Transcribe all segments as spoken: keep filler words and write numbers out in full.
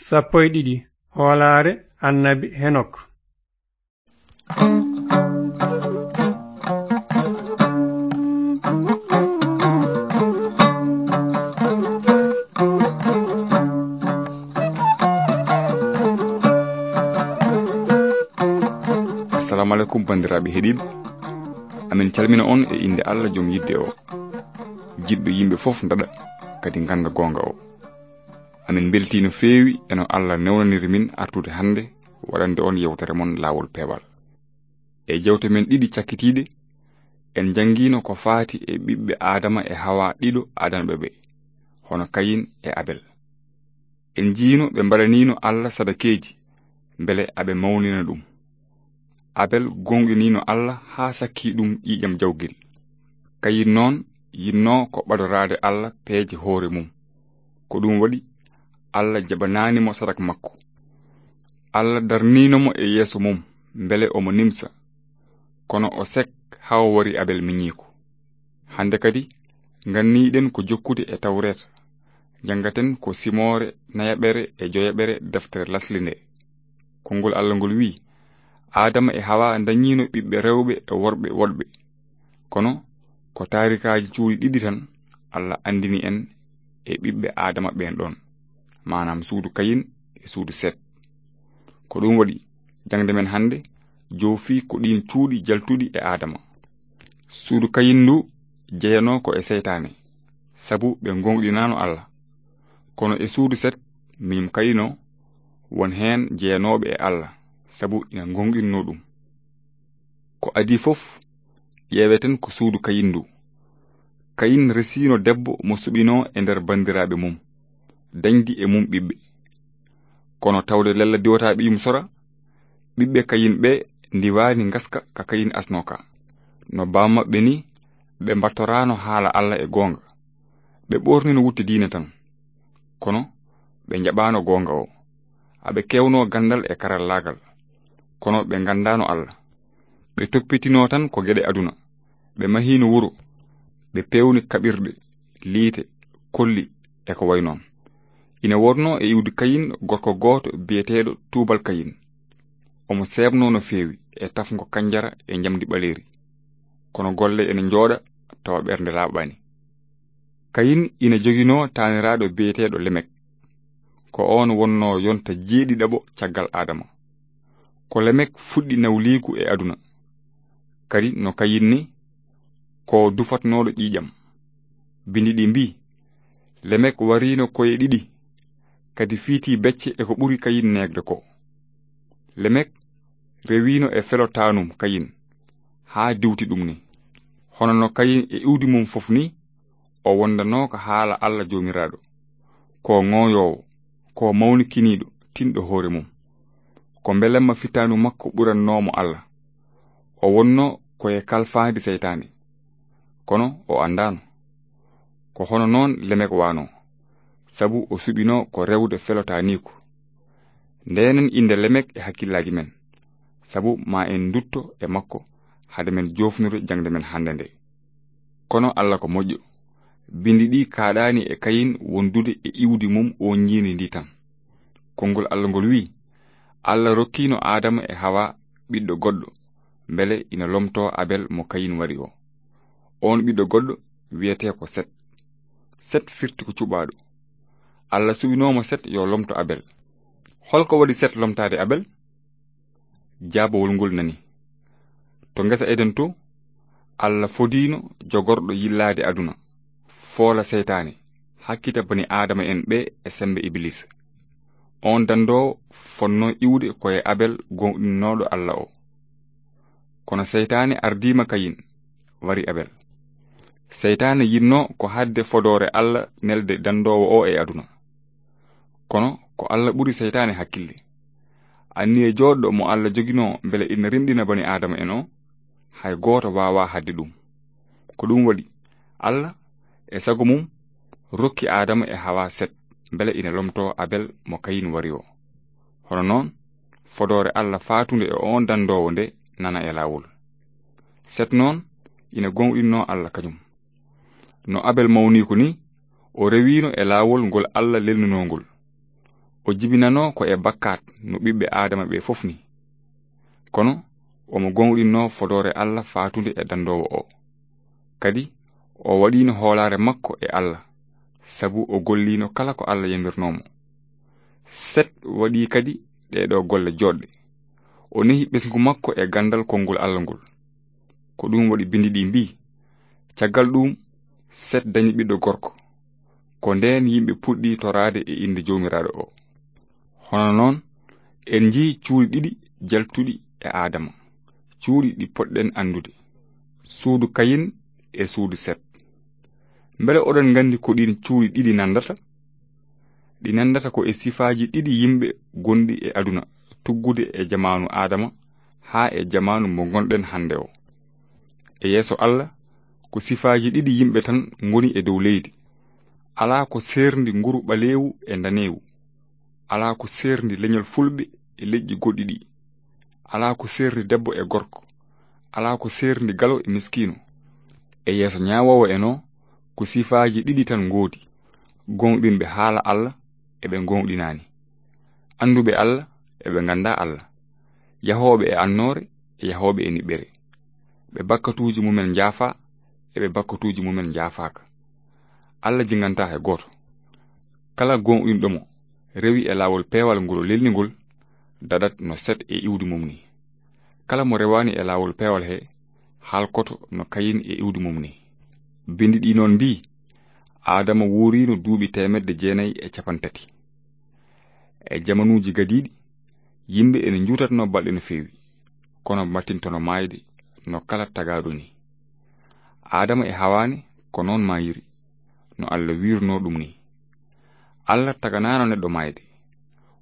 Sappo e ɗiɗi. Hoolaare annabi Henok. Assalamu alaikum, banndiraaɓe heɗiiɓe. Amin calmina on e innde Allah, jom yidde o, jiɗɗo yimɓe fof ndaɗa, kadi ngannda goonga o. Amin mbeltii no feewi e no Allah newnaniri min artude hannde waɗande on yewtere mon Laawol Peewal. E jewte men ɗiɗi cakkitiiɗe, en njanngiino ko faati e ɓiɓɓe Aadama e Hawa ɗiɗo adanɓe ɓe, hono Kayin e Abel. En njiino ɓe mbaɗaniino Allah sadakeeji, mbele aɓe mawnina ɗum. Abel gooŋɗiniino Allah haa sakkii ɗum ƴiiƴam jawgel. Kayin noon yinnoo ko ɓadoraade Allah peeje hoore mum. Ko ɗum waɗi Allah jaɓanaani mo sadak makko. Allah darniino mo e yeeso mum, mbele omo nimsa. Kono o sek haa o wari Abel miñiiko. Hannde kadi, nganniiɗen ko jokkude e Tawreeta. Njanngaten ko simoore nayaɓere e joyaɓere deftere lasli nde. Konngol Allah ngol wi'i, Aadama e Hawa ndañiino ɓiɓɓe rewɓe e worɓe woɗɓe. Kono ko taarikaaji cuuɗi ɗiɗi tan Allah anndini en e ɓiɓɓe Aadama ɓeen ɗoon, maanaam suudu Kayin e suudu Set. Ko ɗum waɗi, jaŋde men hannde joofi ko ɗiin cuuɗi jaltuɗi e Aadama. Suudu Kayin ndu jeyanoo ko e seytaane, sabu ɓe ngooŋɗinaano Allah. Kono e suudu Set, miñum Kayin o, won heen jeyanooɓe e Allah, sabu ina ngooŋɗinnoo ɗum. Ko adii fof, ƴeeweten ko suudu Kayin ndu. Kayin resiino debbo mo suɓinoo e nder banndiraaɓe mum, dañdi e mum ɓiɓɓe. Kono tawde lella diwataa ɓiyum sora, ɓiɓɓe Kayin ɓe ndiwaani ngaska ka Kayin asnoo ka. No baam maɓɓe ni, ɓe mbattoraano haala Allah e goonga. Ɓe ɓoornino wutte diine tan. Kono ɓe njaɓaano goonga o. Aɓe keewnoo ganndal e karallaagal. Kono ɓe nganndaano Allah. Ɓe toppitinoo tan ko geɗe aduna. Ɓe mahiino wuro. Ɓe peewni kaɓirɗe, liite, kolli e ko wayi noon. Ina woodnoo e iwdi Kayin gorko gooto biyeteeɗo Tuubal Kayin. Omo seebnoo no feewi e tafngo kanjara e njamndi ɓaleeri. Kono golle ene njooɗa tawa ɓernde laaɓaani. Kayin ina joginoo taaniraaɗo biyeteeɗo Lemek. Ko oon wonnoo yonta jeeɗiɗaɓo caggal Aadama. Ko Lemek fuɗɗi nawliigu e aduna. Kadi no Kayin ni, ko dufatnooɗo ƴiiƴam. Bindi ɗi mbii, Lemek wariino koye ɗiɗi, kadi fiitii becce e ko ɓuri Kayin neegde ko. Lemek rewiino e felo taanum Kayin, haa diwti ɗum ni. Hono no Kayin e iwdi mum fof ni, o wondanoo ko haala Allah Joomiraaɗo. Ko ŋooyoowo, ko mawnikiniiɗo, tinɗo hoore mum. Ko mbelamma fitaandu makko ɓurannoo mo Allah. O wonnoo ko e kalfaandi seytaane. Kono o anndaano. Ko hono noon Lemek waanoo, sabu o suɓinoo ko rewde felotaaniiku. Ndeenen innde Lemek e hakkillaaji men, sabu ma en ndutto e makko hade men joofnude jaŋde men hannde nde. Kono Allah ko moƴƴo. Bindi ɗi kaaɗaani e Kayin wondude e iwdi mum oon ñiiri ndi tan. Konngol Allah ngol wi'i, Allah rokkiino Aadama e Hawa ɓiɗɗo goɗɗo, mbele ina lomtoo Abel mo Kayin wari o. Oon ɓiɗɗo goɗɗo wiyetee ko Set. Set firti ko cuɓaaɗo. Allah suɓinoo mo Set yo lomto Abel. Hol ko waɗi Set lomtaade Abel? Jaabawol ngol nani. To ngesa Eden to, Allah fodiino jogorɗo yillaade aduna, foola seytaane, hakkita bani Aadama en ɓe e semmbe Ibiliisa. Oon danndoowo fotnoo iwde ko e Abel gooŋɗinnooɗo Allah o. Kono seytaane ardiima Kayin, wari Abel. Seytaane yinnoo ko haɗde fodoore Allah nelde danndoowo o e aduna. Kono ko Allah ɓuri seytaane hakkille. Anniye jooɗɗo mo Allah joginoo mbele ina rimɗina bani Aadama en o, hay gooto waawaa haɗde ɗum. Ko ɗum waɗi, Allah e sago mum rokki Aadama e Hawa Set mbele ina lomtoo Abel mo Kayin wari o. Hono noon, fodoore Allah faatunde e oon danndoowo nde nana e laawol. Set noon ina gooŋɗinnoo Allah kañum. No Abel mawniiko ni, o rewiino e laawol ngol Allah lelnunoo ngol. O jibinanoo ko e bakkaat no ɓiɓɓe Aadama ɓe fof ni. Kono omo gooŋɗinnoo fodoore Alla faatunde e danndoowo o. Kadi o waɗiino hoolaare makko e Alla, sabu o golliino kala ko Alla yamirnoo mo. Set waɗii kadi ɗee ɗoo golle jooɗɗe. O nehi ɓesngu makko e ganndal konngol Alla ngol. Ko ɗum waɗi binndi ɗi mbii, "Caggal ɗum, Set dañi ɓiɗɗo gorko." Ko ndeen yimɓe puɗɗi toraade e innde Joomiraaɗo o. Hono noon, en njii cuuɗi ɗiɗi jaltuɗi e Aadama, cuuɗi ɗi poɗɗen anndude, suudu Kayin e suudu Set. Mbele oɗon nganndi ko ɗiin cuuɗi ɗiɗi nanndata? Ɗi nanndata ko e sifaaji ɗiɗi yimɓe gonɗi e aduna, tuggude e jamaanu Aadama haa e jamaanu mo ngonɗen hannde o. E yeeso Alla, ko sifaaji ɗiɗi yimɓe tan ngoni e dow leydi. Alaa ko seerndi nguru ɓaleewu e ndaneewu. Alaa ko seerndi leñol fulɓe e leƴƴi goɗɗi ɗi. Alaa ko seerndi debbo e gorko. Alaa ko seerndi galo e miskiino. E yeeso ñaawoowo en o, ko sifaaji ɗiɗi tan ngoodi, gooŋɗinɓe haala Alla e ɓe gooŋɗinaani. Annduɓe Alla e ɓe nganndaa Alla. Yahooɓe e annoore e yahooɓe e niɓɓere. Ɓe bakkatuuji mumen njaafaa e ɓe bakkatuuji mumen njaafaaka. Alla jingantaa hay gooto. Kala gooŋɗinɗo mo rewi e laawol peewal ngol o lelni ngol, daɗat no Set e iwdi mum ni. Kala mo rewaani e laawol peewal he, halkoto no Kayin e iwdi mum ni. Binndi ɗi noon mbii, Aadama wuuriino duuɓi teemedde jeenayi e capanɗe tati. E jamanuuji gadiiɗi, yimɓe ene njuutatnoo balɗe no feewi, kono mbattintono maayde no kala tagaaɗo ni. Aadama e Hawaa ne ko noon maayiri, no Alla wiirnoo ɗum ni. Alla taganaano neɗɗo maayde,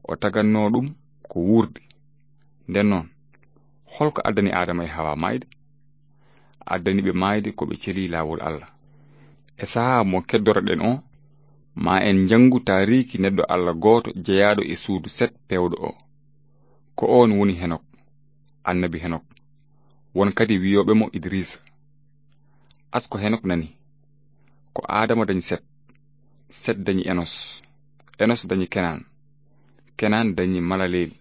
o tagannoo ɗum ko wuurde. Nden noon, hol ko addani Aadama e Hawaa maayde? Addani ɓe maayde ko ɓe celii laawol Alla. E sahaa mo keddoraɗen o, ma en njanngu taariiki neɗɗo Alla gooto jeyaaɗo e suudu Set peewɗo o. Ko oon woni Henok, annabi Henok. Won kadi wiyooɓe mo Idriisa. Asko Henok nani, ko Aadama dañi Set, Set dañi Enos, Enos dañi Kenan, Kenan dañi Malaleel,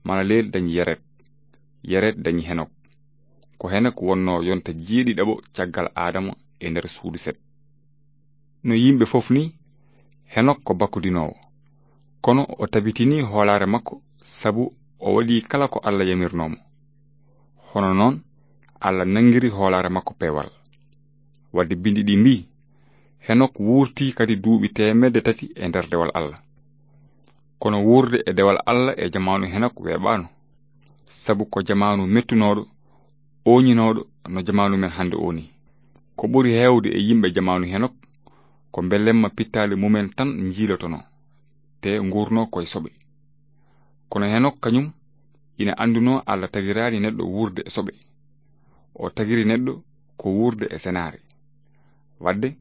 Malaleel dañi Yared, Yared dañi Henok. Ko Henok wonnoo yonta jeeɗiɗaɓo caggal Aadama e nder suudu Set. No yimɓe fof ni, Henok ko bakkodinoowo. Kono o tabitinii hoolaare makko sabu o waɗii kala ko Alla yamirnoo mo. Hono noon, Alla nanngiri hoolaare makko peewal. Wadde binndi ɗi mbii, Henok wuurtii kadi duuɓi teemedde tati e nder dewal Alla. Kono wuurde e dewal Alla e jamaanu Henok weeɓaano, sabu ko jamaanu mettunooɗo, ooñinooɗo no jamaanu men hannde o ni. Ko ɓuri heewde e yimɓe jamaanu Henok, ko mbelemma pittaali mumen tan njiilotonoo, te nguurnoo koye soɓe. Kono Henok kañum ina anndunoo Alla tagiraani neɗɗo wuurde e soɓe. O tagiri neɗɗo ko wuurde e senaare. Wadde,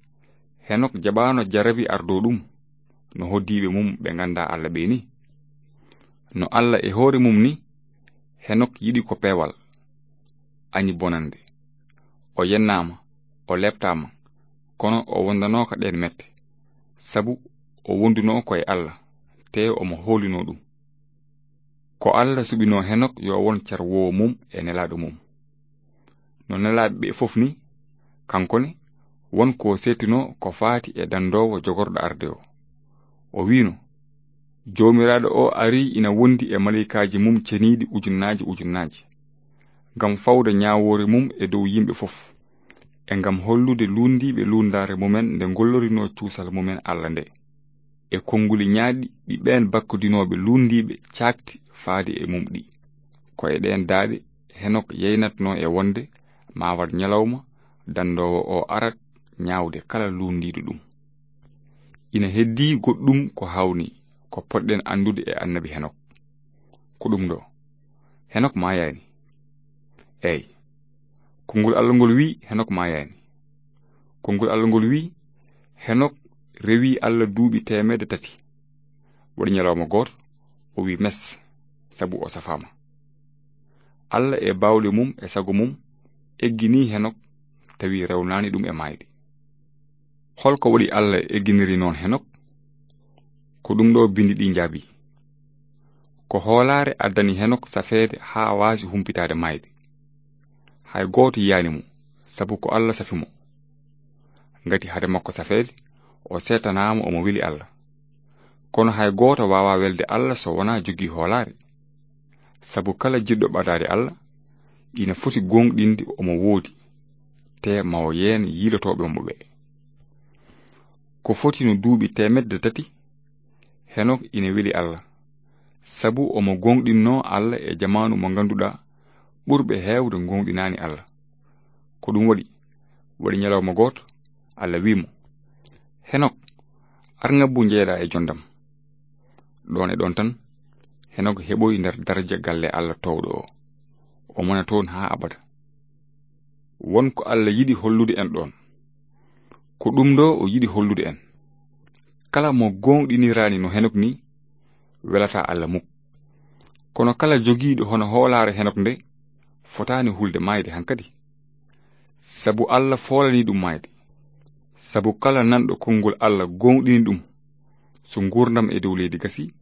Henok jaɓaano jarabi ardoo ɗum, no hoddiiɓe mum ɓe nganndaa Alla ɓe ni. No Alla e hoore mum ni, Henok yiɗi ko peewal, añi bonannde. O yennaama, o leeptaama, kono o wondanooka ɗeen mette, sabu o wondunoo ko e Alla, te omo hoolinoo ɗum. Ko Alla suɓinoo Henok yo won carwoowo mum e nelaaɗo mum. No nelaaɓe ɓe fof ni, kanko ne, won ko seetinoo ko faati e danndoowo jogorɗo arde o. O wiino, Joomiraaɗo o arii ina wondi e maleykaaji mum ceniiɗi ujunnaaji ujunnaaji, ngam fawde ñaawoore mum e dow yimɓe fof, e ngam hollude luunndiiɓe luunndaare mumen nde ngollorinoo cuusal mumen Alla nde, e konnguli ñaaɗɗi ɗi ɓeen bakkodinooɓe luunndiiɓe caakti faade e mum ɗi. Ko e ɗeen daaɗe Henok yeynatnoo e wonde maa waɗ ñalawma danndoowo o arat ñaawde kala luunndiiɗo ɗum. Ina heddii goɗɗum ko haawnii, ko potɗen anndude e annabi Henok. Ko ɗum ɗo, Henok maayaani. Eey, konngol Alla ngol wii Henok maayaani. Konngol Alla ngol wii, Henok rewii Alla duuɓi teemedde tati. Waɗi ñalawma gooto, o wii mes, sabu o safaama. Alla e baawɗe mum e sago mum egginii Henok, tawi rewnaani ɗum e maayde. Hol ko waɗi Alla egginiri noon Henok? Ko ɗum ɗo binndi ɗi njaabii. Ko hoolaare addani Henok safeede haa waasi humpitaade maayde. Hay gooto yiyaani mo, sabu ko Alla safi mo. Ngati hade makko safeede, o seetanaama omo weli Alla. Kono hay gooto waawaa welde Alla so wonaa jogii hoolaare. Sabu kala jiɗɗo ɓadaade Alla, ina foti gooŋɗinde omo woodi, te ma o yeen yiilotooɓe mo ɓe. Ko foti no duuɓi teemedde tati, Henok ina weli Alla, sabu omo gooŋɗinnoo Alla e jamaanu mo ngannduɗaa ɓurɓe heewde gooŋɗinaani Alla. Ko ɗum waɗi, waɗi ñalawma gooto, Alla wi'i mo, "Henok, ar ngabbu njeeɗaa e jondam." Ɗoon e ɗoon tan, Henok heɓoyi nder daraja galle Alla toowɗo o. O mona toon haa abada. Won ko Alla yiɗi hollude en ɗoon. Ko ɗum ɗo o yiɗi hollude en. Kala mo gooŋɗiniraani no Henok ni, welataa Alla muk. Kono kala jogiiɗo hono hoolaare Henok nde, fotaani hulde maayde hankadi. Sabu Alla foolanii ɗum maayde. Sabu kala nanɗo konngol Alla gooŋɗini ɗum, so nguurndam e dow leydi gasi,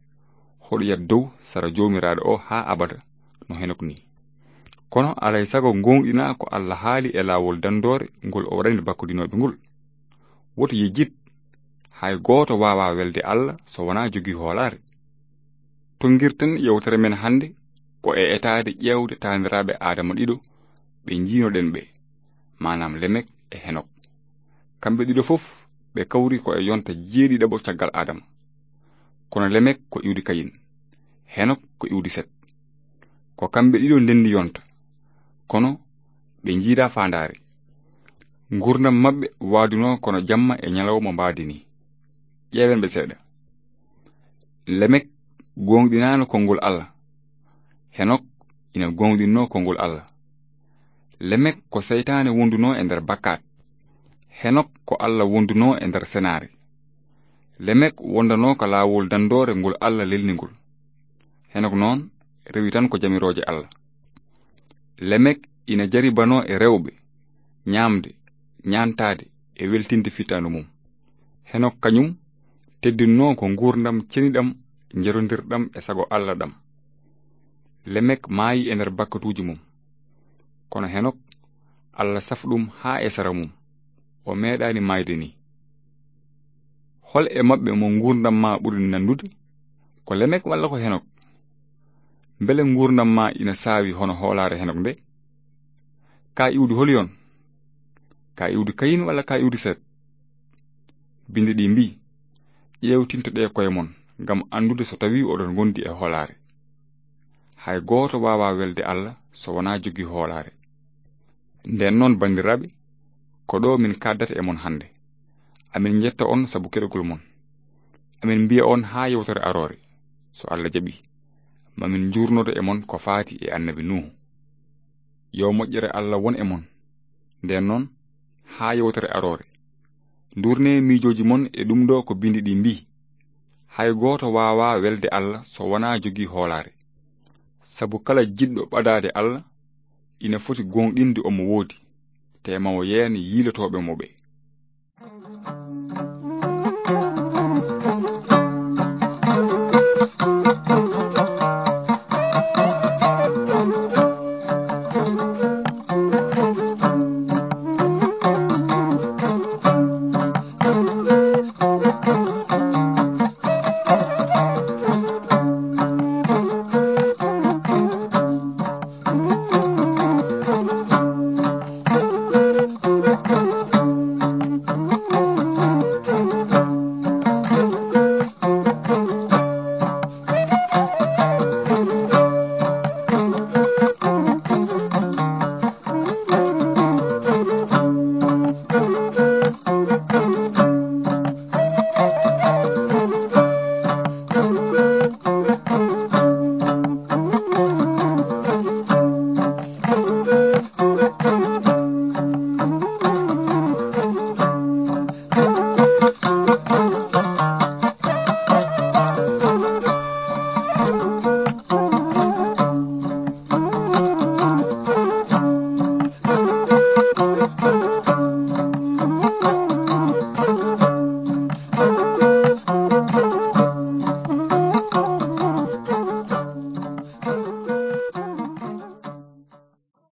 hoɗoyat dow sara Joomiraaɗo o haa abada, no Henok ni. Kono alay sago gooŋɗinaa ko Alla haali e laawol danndoore ngol o waɗani bakkodinooɓe ngol. Woto yejjit, hay gooto waawaa welde Alla so wonaa jogii hoolaare. To ngirten yewtere men hannde ko e etaade ƴeewde taaniraaɓe Aadama ɗiɗo ɓe njiinoɗen ɓe, maanaam Lemek e Henok. Kamɓe ɗiɗo fof ɓe kawri ko e yonta jeeɗiɗaɓo caggal Aadama. Kono Lemek ko iwdi Kayin, Henok ko iwdi Set. Ko kamɓe ɗiɗo ndenndi yonta, kono ɓe njiidaa faandaare. Nguurndam maɓɓe waadunoo kono jamma e ñalawma mbaadi ni. Ƴeewen ɓe seeɗa. Lemek gooŋɗinaano konngol Alla. Henok ina gooŋɗinnoo konngol Alla. Lemek ko seytaane wondunoo e nder bakkaat. Henok ko Alla wondunoo e nder senaare. Lemek wondanoo ka laawol danndoore ngol Alla lelni ngol. Henok noon rewi tan ko jamirooje Alla. Lemek ina jaribanoo e rewɓe, ñaamde, ñaantaade e weltinde fittaandu mum. Henok kañum teddinnoo ko nguurndam ceniɗam, njerondirɗam e sago Alla ɗam. Lemek maayi e nder bakkatuuji mum. Kono Henok, Alla safi ɗum haa e sara mum. O meeɗaani maayde ni. Hol e maɓɓe mo nguurndam maa ɓuri nanndude? Ko Lemek walla ko Henok? Mbele nguurndam maa ina saawi hono hoolaare Henok nde? Ka iwdi holi on? Ka iwdi Kayin walla ka iwdi Set? Bindi ɗi mbii, "Ƴeewtintoɗee koye mon ngam anndude so tawii oɗon ngondi e hoolaare." Hay gooto waawaa welde Alla so wonaa jogii hoolaare. Ndeen noon, banndiraaɓe, ko ɗo min kaaddata e mon hannde. Amin njetta on sabu keɗogol mon. Amin mbiya on haa yewtere aroore, so Alla jaɓii, ma min njuurnodo e mon ko faati e Annabi Nuuhu. Yo moƴƴere Alla won e mon. Ndeen noon, haa yewtere aroore, nduurnee miijooji mon e ɗum ɗo ko bindi ɗi mbii, "Hay gooto waawaa welde Alla so wonaa jogii hoolaare." Sabu kala jiɗɗo ɓadaade Alla ina foti gooŋɗinde omo woodi, te ma o yeen yiilotooɓe mo ɓe.